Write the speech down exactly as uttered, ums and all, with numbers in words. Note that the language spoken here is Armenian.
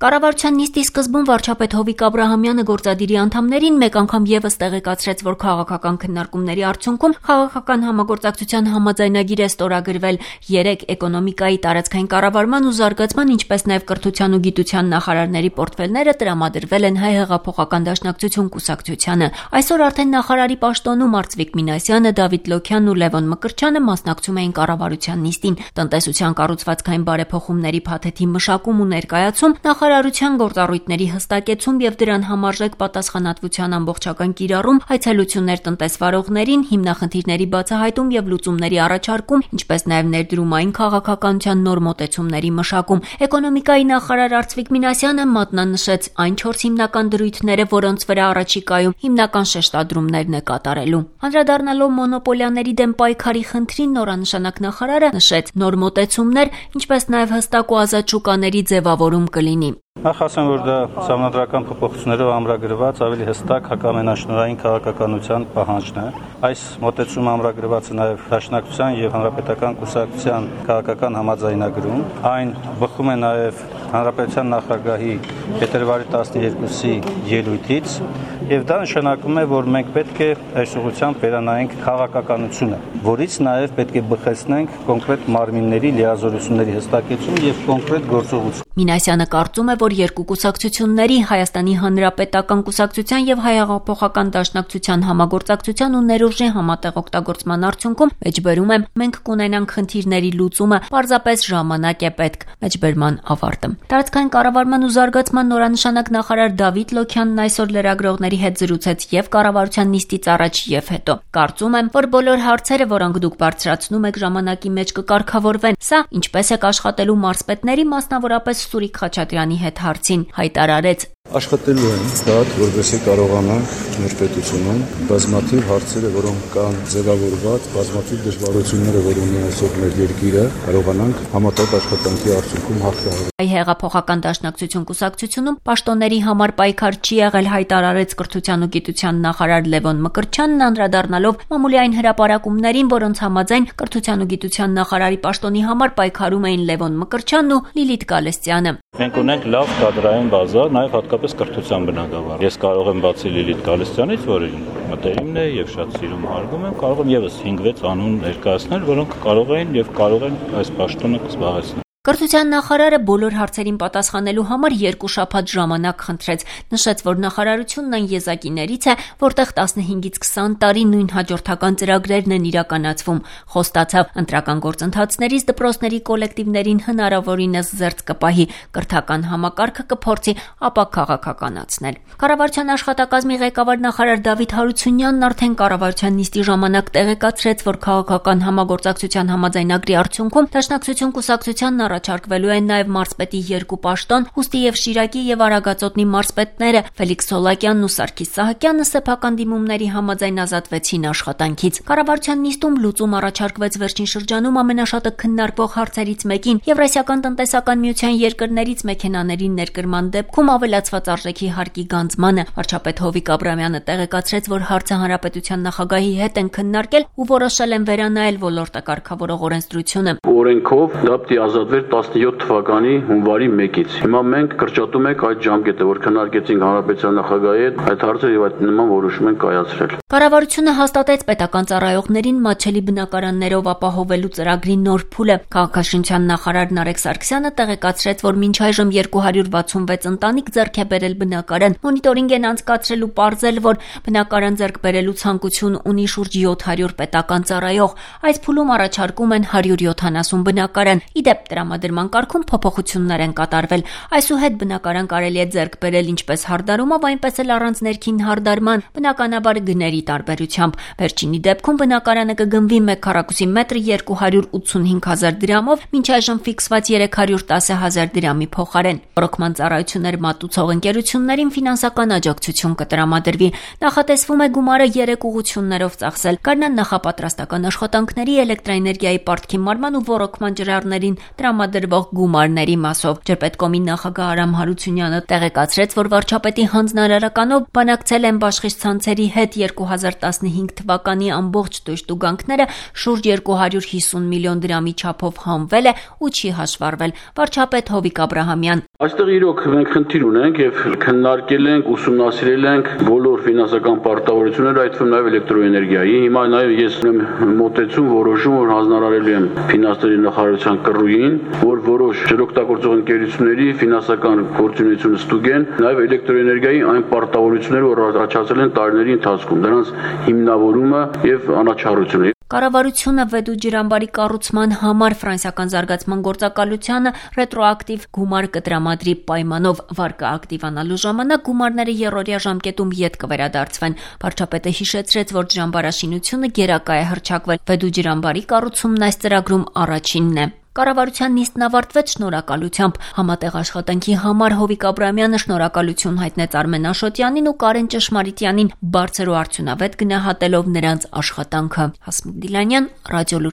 Կառավարության նիստի սկզբում վարչապետ Հովիկ Աբրահամյանը գործադիրի անդամներին մեկ անգամ ևս տեղեկացրեց, որ քաղաքական քննարկումների արդյունքում քաղաքական համագործակցության համաձայնագիր է ստորագրվել երեք էկոնոմիկայի, տարածքային կառավարման ու զարգացման, ինչպես նաև կրթության ու գիտության նախարարների պորտֆելները տրամադրվել են Հայ հեղափոխական դաշնակցություն կուսակցությանը։ Այսօր արդեն նախարարի պաշտոնում Արծվիկ Մինասյանը, Դավիթ Լոքյանն ու Լևոն Մկրտչյանը մասնակցում էին կառավարության նիստին։ Տնտեսության կառուցվածքային բարեփոխումների փաթեթի մշակում ու ներկայացում, նախարարության գործառույթների հստակեցում եւ դրան համարժեք պատասխանատվության ամբողջական կիրառում, այցելություններ տնտեսվարողներին, հիմնախնդիրների բացահայտում եւ լուծումների առաջարկում, ինչպես նաեւ ներդրումային քաղաքականության նոր մոտեցումների մշակում։ Էկոնոմիկայի նախարար Արծվիկ Մինասյանը մատնանշեց այն չորս հիմնական դրույթները, որոնց վրա առաջիկայում հիմնական շեշտադրումներն է կատարելու։ Անդրադառնալով մոնոպոլիաների դեմ պայքարի խնդրին, նորանշանակ նախարարը նշեց նոր մոտեցումներ, ինչպես նաեւ հստակ ու ազատ շուկաների ձևավորում կլինի։ Նախ ասեմ, որ դա սահմանադրական փոփոխություններով ամրագրված ավելի հստակ հակամենաշնորհային քաղաքականության պահանջն է։ Այս մոտեցումը ամրագրված է նաև Դաշնակցության եւ Հանրապետական կուսակցության քաղաքական համաձայնագրում։ Այն բխում է նաև Հանրապետության նախագահի փետրվարի տասներկուսի ելույթից, եւ դա նշանակում է, որ մենք պետք է այս ուղղությամբ վերանայենք քաղաքականությունը, որից նաև պետք է բխեցնենք կոնկրետ մարմինների լիազորությունների հստակեցում եւ կոնկրետ գործողություն։ Մինասյանը կարծում է, որ երկու կուսակցությունների Հայաստանի Հանրապետական կուսակցության եւ Հայ հեղափոխական դաշնակցության համագործակցության ու ներուժի համատեղ օգտագործման արդյունքում մեջբերում է մենք կունենանք խնդիրների լուծումը, պարզապես ժամանակ է պետք։ Մեջբերման ավարտը։ Տարածքային կառավարման ու զարգացման նորանշանակ նախարար Դավիթ Լոքյանն այսօր լրագրողների հետ զրուցեց եւ կառավարության նիստից առաջ եւ հետո։ Կարծում եմ, որ բոլոր հարցերը, որոնք դուք բարձրացնում եք, ժամանակի մեջ կկարգավորվեն։ Սա ինչպես է աշխատելու մարզպետների, մասնավորապես Սուրիկ Խաչատրյանի հետ հարցին հայտարարեց. Աշխատելու են դատ, որովհետեւ կարողանանք մեր պետությունում բազմաթիվ հարցերը, որոնք կան ձևավորված, բազմաթիվ դժվարությունները, որ ունի այսօր մեր երկիրը, կարողանանք համատեղ աշխատանքի արդյունքում հաղթահարել։ Հայ հեղափոխական դաշնակցություն կուսակցությունում պաշտոնների համար պայքար չի եղել, հայտարարեց կրթության ու գիտության նախարար Լևոն Մկրտչյանն, անդրադառնալով մամուլի այն հրապարակումներին, որոնց համաձայն կրթության ու գիտության նախարարի պաշտոնի համար պայքարում էին Լևոն Մկրտչյանն ու Լիլիթ Գալստյանը։ Մենք ունենք լավ կադրային բազա, նաև հատկապես կրթության բնագավառ։ Ես կարող եմ բացի Լիլիթ Գալստյանից, որը մտերիմն է եւ շատ սիրում հարգում եմ, կարող եմ եւս հինգ վեց անուն ներկայացնել, որոնք կարող են եւ կարող են այս պաշտոնը զբաղեցնել։ Կրթության նախարարը բոլոր հարցերին պատասխանելու համար երկու շաբաթ ժամանակ խնդրեց, նշեց, որ նախարարությունն այն եզակիներից է, որտեղ տասնհինգից քսան տարի նույն հաջորդական ծրագրերն են իրականացվում, խոստացավ ընտրական գործընթացներից դպրոցների կոլեկտիվներին հնարավորինս զերծ կպահի, կրթական համակարգը կփորձի ապա քաղաքականացնել։ Կառավարության աշխատակազմի ղեկավար նախարար Դավիթ Հարությունյանն արդեն կառավարության նիստի ժամանակ տեղեկացրեց, որ քաղաքական համագործակցության համաձայնագրի արդյունքում Դաշնակցություն կուսակցության առաջարկվելու են նաև մարզպետի երկու պաշտոն, Հուստի եւ Շիրակի եւ Արագածոտնի մարզպետները Ֆելիքս Սոլակյանն ու Սարգիս Սահակյանը սեփական դիմումների համաձայն ազատվեցին աշխատանքից։ Կառավարության նիստում լուծում առաջարկվեց վերջին շրջանում ամենաշատը քննարկվող հարցերից մեկին՝ Եվրասիական տնտեսական միության երկրներից մեքենաների ներկրման դեպքում ավելացված արժեքի հարկի գանձմանը։ Վարչապետ Հովիկ Աբրահամյանը տեղեկացրեց, որ հարցը հանրապետության նախագահի հետ են քննարկել ու որոշել են վերանայել ոլորտը կարգավորող օրենսդրությունը։ Օրենքով դա պիտի ազատվեր տասնյոթ թվականի հունվարի մեկից։ Հիմա մենք կրճատում ենք այդ ժամկետը, որ քննարկեցինք հանրապետության նախագահի հետ, այդ հարցը եւ այդ նման որոշում են կայացրել։ Կառավարությունը հաստատեց պետական ծառայողներին մատչելի բնակարաններով ապահովելու ծրագրի նոր փուլը։ Քաղաքաշինության նախարար Նարեկ Սարգսյանը տեղեկացրեց, որ մինչ այժմ երկու հարյուր վաթսունվեց ընտանիք ձեռք է բերել բնակարան։ Մոնիտորինգ են անցկացրել ու պարզել, որ բնակարան ձեռք բերելու ցանկություն ունի շուրջ յոթ հարյուր պետական ծառայող։ Այս փուլում առաջարկում են հարյուր յոթանասուն բնակարան։ Իդեպ տրամադրման կարգում փոփոխություններ են կատարվել։ Այսուհետ բնակարան կարելի է ձեռք բերել ինչպես հարդարումով, այնպես էլ առանց ներքին հարդարման, բնականաբար գների տարբերությամբ։ Վերջինի դեպքում բնակարանը կգնվի մեկ քառակուսի մետր երկու հարյուր ութսունհինգ հազար դրամով, մինչ այժմ ֆիքսված երեք հարյուր տասը հազար դրամի փոխարեն։ Ռոկման ծառայություններ մատուցող ընկերություններին ֆինանսական աջակցություն կտրամադրվի։ Նախատեսվում է գումարը երեք ուղղություններով ծախսել։ Կառնան նախապատրաստական աշխատանքների, էլեկտրաէներգիայի պարտքի մարման ու ռոկման ջրառներին տրամադրվող գումարների մասով։ Ջրպետկոմի նախագահ Արամ Հարությունյանը տեղեկացրեց, որ վարչապետի հանձնարարականով բանակցել են բաշխիչցանցերի հետ երկու հազար տասնհինգ թվականի ամբողջ տույժտուգանքները շուրջ երկու հարյուր հիսուն միլիոն դրամի չափով հանվել է ու չի հաշվառվել։ Վարչապետ Հովիկ Աբրահամյան. Այստեղ իրոք մենք խնդիր ունենք եւ քննարկել ենք, ուսումնասիրել ենք բոլոր ֆինանսական պարտավորությունները, այդ թվում նաեւ էլեկտրոէներգիայի։ Հիմա նաեւ ես ունեմ մոտեցում, որոշում, որ հանձնարարելու եմ ֆինանսների նախարարության կռուին, որ որոշ ջրօգտագործող ընկերությունների ֆինանսական գործունեությունը ստուգեն, նաեւ էլեկտրոէներգիայի այն պարտավորությունները, որ առաջացել են տարիների ընթացքում, դրանց հիմնավորումը եւ անաչառությունը։ Կառավարությունը Վեդու ջրամբարի կառուցման համար ֆրանսիական զարգացման գործակալությանը ռետրոակտիվ գումար կտրամադրի պայմանով վարկը ակտիվանալու ժամանակ գումարները եռօրյա ժամկետում ետ կվերադարձվեն։ Վարչապետը հիշեցրեց, որ ջրամբարաշինությունը գերակա է հռչակվել։ Վեդու ջրամբարի կառուցումն այս ծրագրում առաջինն է։ Կառավարության նիստն ավարտվեց շնորհակալությամբ։ Համատեղ աշխատանքի համար Հովիկ Աբրահամյանը շնորհակալություն հայտնեց Արմեն Աշոտյանին ու Կարեն Ճշմարիտյանին, բարձր ու արդյունավետ գնահատելով նրանց աշխատանքը։ Հասմիկ Դիլանյան, Ռադիոլուր։